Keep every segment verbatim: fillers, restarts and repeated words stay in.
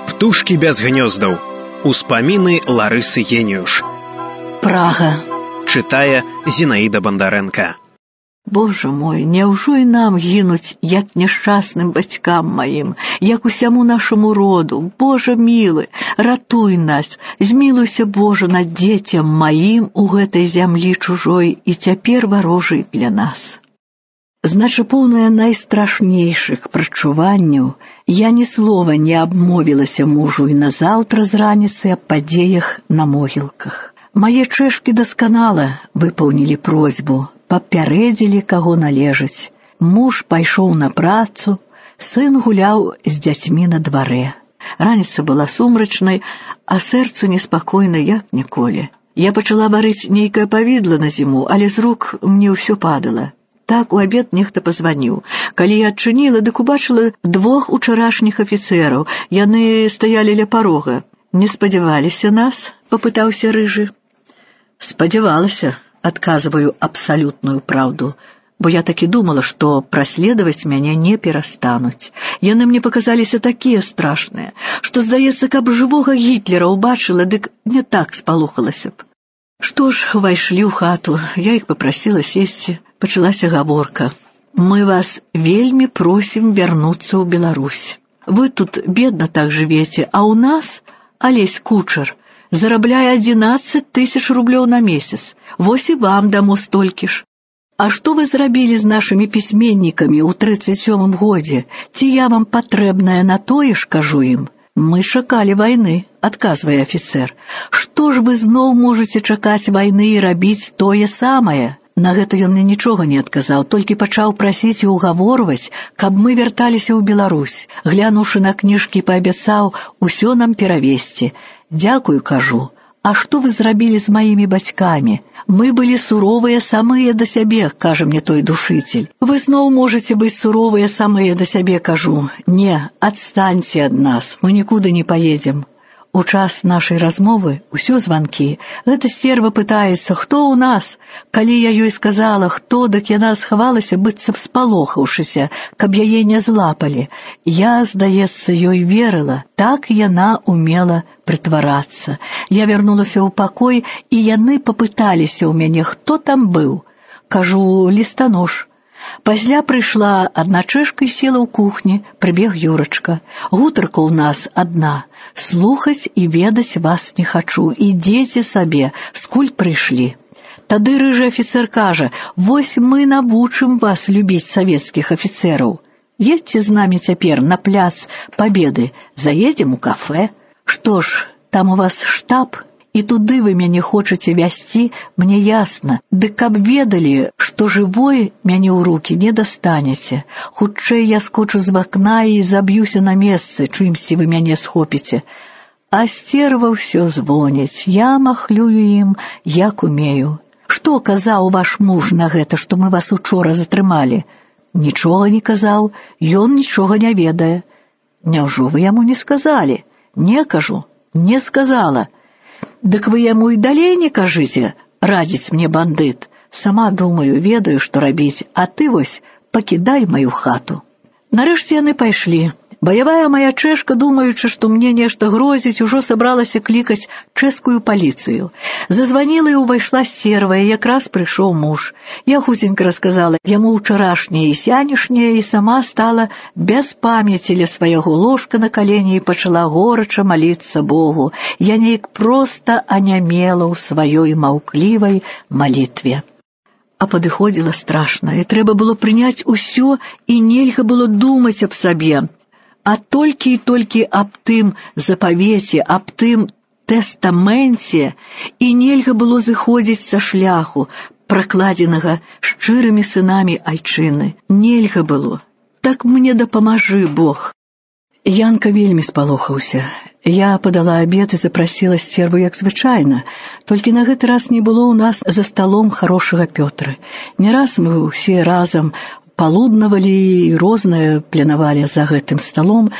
Птушкі без гнёздаў. Успаміны Ларысы Геніюш. Прага. Чытае Зінаіда Бандарэнка. Боже мой, няўжо і нам гінуць, як няшчасным бацькам маім, як усяму нашаму роду? Боже мілы, ратуй нас, змілуйся, Боже, над дзецям маім у гэтай зямлі чужой і цяпер варожай для нас. Значы, поўная найстрашнейшых прачуванняў, я ні слова не абмовілася мужу і назаўтра з раніцы аб падзеях на могілках. Мае чэшкі дасканала выпаўнілі просьбу, папярэдзілі, каго належыць. Муж пайшоў на працу, сын гуляў з дзяцьмі на дварэ. Раніца была сумрачнай, а сэрцу неспакойна, як ніколі. Я пачала варыць нейкае павідла на зіму, але з рук мне ўсё падала. Так у абед нехта пазваніў. Калі я адчыніла, дык убачыла двух учарашніх афіцэраў. Яны стаялі ля парога. Не спадзяваліся нас? Папытаўся рыжы. Спадзявалася, адказваю абсалютную праўду, бо я такі думала, што праследаваць мяне не перастануць. Яны мне паказаліся такія страшныя, што, здаецца, каб жывога Гітлера ўбачыла, дык не так спалохалася б. Што ж, увайшлі ў хату, я іх папрасіла сесці. Пачалася гаворка. Мы вас вельмі просім вярнуцца ў Беларусь. Вы тут бедна так жывеце, а ў нас Алесь Кучар зарабляе адзінаццаць тысяч рублёў на месяц. Вось і вам дамо столькі ж. А што вы зрабілі з нашымі пісьменнікамі ў трыццаць сёмым годзе? Ці я вам патрэбная на тое ж, кажу ім? Мы чакалі вайны, адказвае афіцэр. Што ж вы зноў можаце чакаць вайны і рабіць тое самае? На гэта ён мне нічога не адказаў, толькі пачаў прасіць і угаворваць, каб мы вярталіся ў Беларусь. Глянуўшы на кніжкі, паабяцаў усё нам перавесці. Дзякую, кажу. А што вы зрабілі з маімі бацькамі? Мы былі суровыя самыя да сябе, кажа мне той душитель. Вы зноў можаце быць суровыя самыя да сябе, кажу. Не, адстаньце ад нас, мы нікуды не паедзем. У час нашай размовы ўсё званкі. Гэта стерва пытаецца, хто ў нас? Калі я ёй сказала, хто, дык яна схавалася, быццам спалохаўшыся, каб яе не злапалі. Я, здаецца, ёй верыла. Так яна умела прытварацца. Я вярнулася ў пакой, і яны папыталіся ў мяне, хто там быў. Кажу, лістанож. Пасля прыйшла адна чэшка і села ў кухні, прыбег Юрачка. Гутарка ў нас адна. Слухаць і ведаць вас не хачу. Ідзеце сабе, скуль прыйшлі. Тады рыжы афіцэр кажа, вось мы навучым вас любіць савецкіх афіцэраў. Едзьце з намі цяпер на пляц Пабеды, заедзем у кафэ. Што ж, там у вас штаб? І туды вы мяне хочаце вязці, мне ясна. Дык каб ведалі, што жывой мяне ў рукі не дастанеце. Хутчэй я скочу з вакна і заб'юся на месцы, чымсьці вы мяне схопіце. А сцерва ўсё звоняць, я махлюю ім, як умею. Што казаў ваш муж на гэта, што мы вас учора затрымалі? Нічога не казаў, ён нічога не ведае. Няўжо вы яму не сказалі? Не, кажу, не сказала. Дык вы яму і далей не кажыце, радзіць мне бандыт. Сама думаю, ведаю, што рабіць, а ты вось пакідай маю хату. Нарэшце яны пайшлі. Баявая моя чэшка, думаючы, што мне нешта грозіць, ужо сабралася клікаць чэшскую паліцыю. Зазваніла і ўвайшла сцерва, і якраз прыйшоў муж. Я хутенька расказала яму ўчарашняе і сянешняе, і сама стала без памяці ля свайго ложка на калені і пачала горача маліцца Богу. Я неяк проста анямела ў сваёй маўклівай малітве. А падыходзіла страшна, і трэба было прыняць усё, і нельга было думаць аб сабе. А толькі і толькі аб тым запавеце, аб тым тэстаменце, і нельга было зыходзіць са шляху, пракладзенага шчырымі сынамі айчыны. Нельга было. Так мне дапамажы Бог. Янка вельмі спалохаўся. Я падала абед і запрасіла сцерву, як звычайна. Толькі на гэты раз не было ў нас за сталом харошага Пётра. Не раз мы ўсе разам палуднавалі і рознае планавалі за гэтым сталом,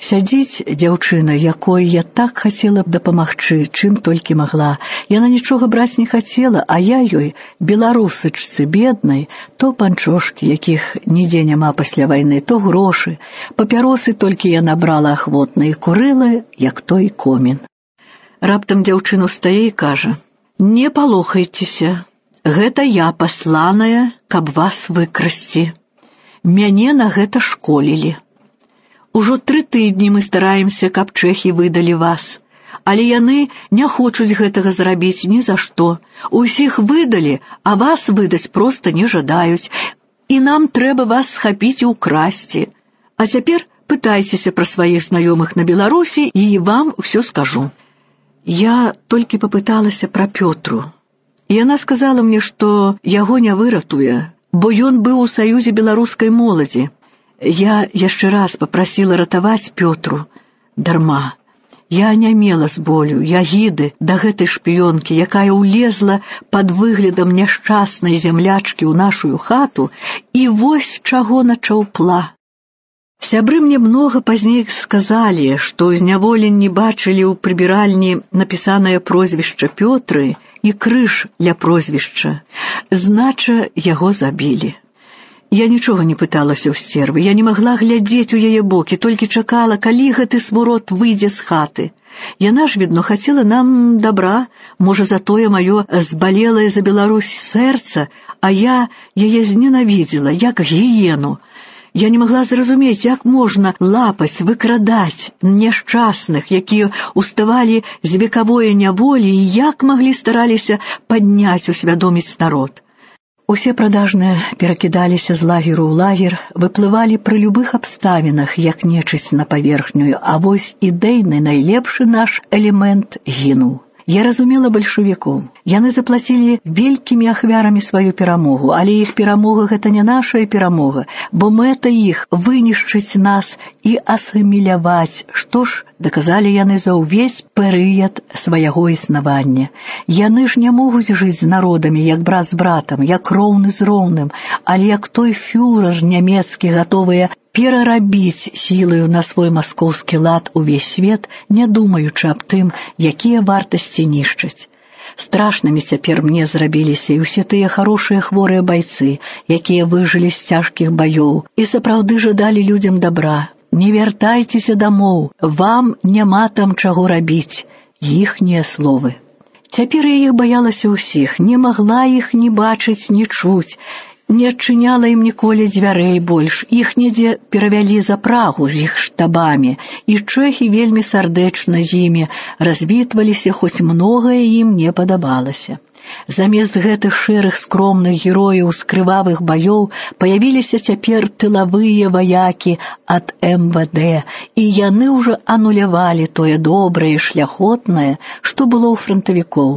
сядзіць дзяўчына, якой я так хацела б дапамагчы, чым толькі магла. Яна нічога браць не хацела, а я ёй, беларусачцы беднай, то панчошкі, якіх нідзе няма пасля вайны, то грошы. Папяросы толькі яна брала ахвотна і курыла, як той комін. Раптам дзяўчына ўстае і кажа: «Не палохайцеся, гэта я пасланая, каб вас выкрасці. Мяне на гэта школілі. Ужо тры тыдні мы стараемся, каб чэхі выдалі вас, але яны не хочуць гэтага зрабіць ні за што. Усіх выдалі, а вас выдаць проста не жадаюць, і нам трэба вас схапіць і ўкрасці. А цяпер пытайцеся пра сваіх знаёмых на Беларусі, і вам усё скажу». Я толькі папыталася пра Пётру. Яна сказала мне, што яго не выратуе, бо ён быў у саюзе беларускай моладзі. Я яшчэ раз папрасіла ратаваць Пётру. Дарма. Я анямела з болю, ягіды да гэтай шпіёнкі, якая ўлезла пад выглядам няшчаснай землячкі ў нашую хату, і вось чаго начаўпла. Сябры мне многа пазней сказалі, што ў зняволенні бачылі ў прыбіральні напісанае прозвішча Пётры і крыж ля прозвішча. Знача, яго забілі. Я нічога не пыталася ў сцервы, я не магла глядзець у яе бокі, толькі чакала, калі гэты свурот выйдзе з хаты. Яна ж, відно, хацела нам добра, можа, за тое маё збалелае за Беларусь сэрца, а я яе зненавідзела, як гіену. Я не магла зразумець, як можна лапаць, выкрадаць няшчасных, якія уставалі з векавое няволі, і як маглі стараліся падняць, усвядоміць народ. Усе прадажныя перакідаліся з лагеру ў лагер, выплывалі пры любых абставінах, як нечысць на паверхню, а вось ідэйны найлепшы наш элемент гінуў. Я разумела бальшавікоў. Яны заплацілі вялікімі ахвярамі сваю перамогу, але іх перамога — гэта не нашая перамога, бо мэта іх — вынішчыць нас і асіміляваць, што ж даказалі яны за ўвесь перыяд свайго існавання. Яны ж не могуць жыць з народамі, як брат з братам, як роўны з роўным, але як той фюрер нямецкі, гатовыя перарабіць сілаю на свой маскоўскі лад увесь свет, не думаючы аб тым, якія вартасці нішчаць. Страшнымі цяпер мне зрабіліся і ўсе тыя харошыя хворыя байцы, якія выжылі з цяжкіх баёў і сапраўды жадалі людзям добра. Не вяртайцеся дамоў, вам няма там чаго рабіць. Іхнія словы. Цяпер я іх баялася ўсіх, не магла іх ні бачыць, ні чуць. Не адчыняла ім ніколі дзвярэй больш, іх недзе перавялі за Прагу з іх штабамі, і чэхі вельмі сардэчна з імі развітваліся, хоць многае ім не падабалася. Замест гэтых шэрых скромных герояў з крывавых баёў паявіліся цяпер тылавыя ваякі ад эм вэ дэ, і яны ўжо анулявалі тое добрае і шляхотнае, што было ў франтавікоў.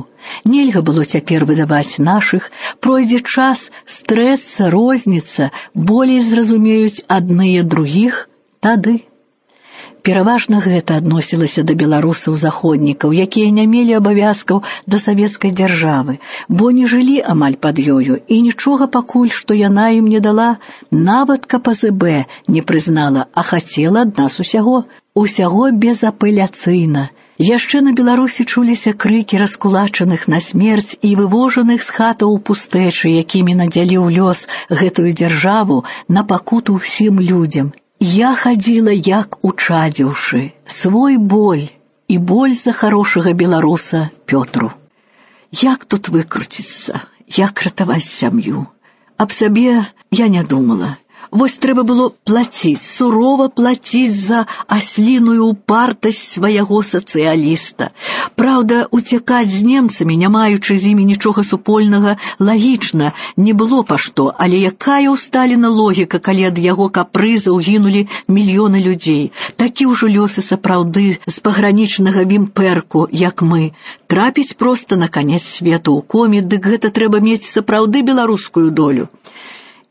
Нельга было цяпер выдаваць нашых, пройдзе час, стрэцца, розніца, болей зразумеюць адныя другіх тады. Пераважна гэта адносілася да беларусаў-заходнікаў, якія не мелі абавязкаў да савецкай дзяржавы, бо не жылі амаль пад ёю, і нічога пакуль, што яна ім не дала, нават ка пэ зэ бэ не прызнала, а хацела ад нас усяго, усяго безапеляцыйна. Яшчэ на Беларусі чуліся крыкі раскулачаных на смерць і вывожаных з хатаў у пустэчы, якімі надзяліў лёс гэтую дзяржаву на пакуту ўсім людзям. Я хадзіла як учадзіўшы, свой боль і боль за харошага беларуса Пётру. Як тут выкруціцца, як ратаваць сям'ю? Аб сабе я не думала. Вось трэба было плаціць, сурова плаціць за асліную упартасць свайго сацыяліста. Праўда, уцякаць з немцамі, не маючы з імі нічога супольнага, лагічна, не было па што, але якая ў Сталіна логіка, калі ад яго капрызаў гінулі мільёны людзей. Такі ўжо лёсы сапраўды з пагранічнага вімпэрку, як мы. Трапіць проста на канец свету ў коме, дык гэта трэба мець сапраўды беларускую долю.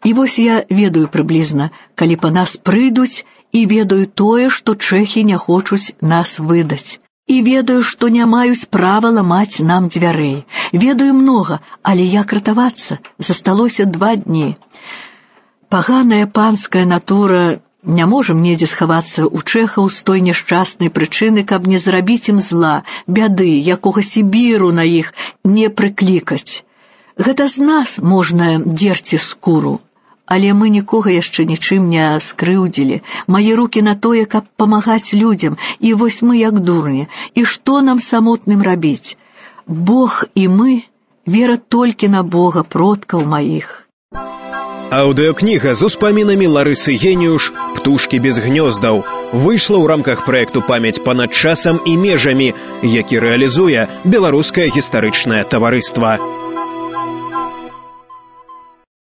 І вось я ведаю прыблізна, калі па нас прыйдуць, і ведаю тое, што чэхі не хочуць нас выдаць. І ведаю, што не маюць права ламаць нам дзвярэй. Ведаю многа, але як ратавацца? Засталося два дні. Паганая панская натура не можам недзе схавацца ў чэхаў з той няшчаснай прычыны, каб не зрабіць ім зла, бяды, якога сібіру на іх не прыклікаць. Гэта з нас можна дзерці скуру. Але мы нікога яшчэ нічым не скрыўдзілі. Мае рукі на тое, каб памагаць людзям, і вось мы як дурні. І што нам самотным рабіць? Бог і мы, вера толькі на Бога, продкаў маіх. Аўдыёкніга з успамінамі Ларысы Геніюш «Птушкі без гнёздаў» выйшла ў рамках праекту «Памяць панад часам і межамі», які рэалізуе Беларускае гістарычнае таварыства.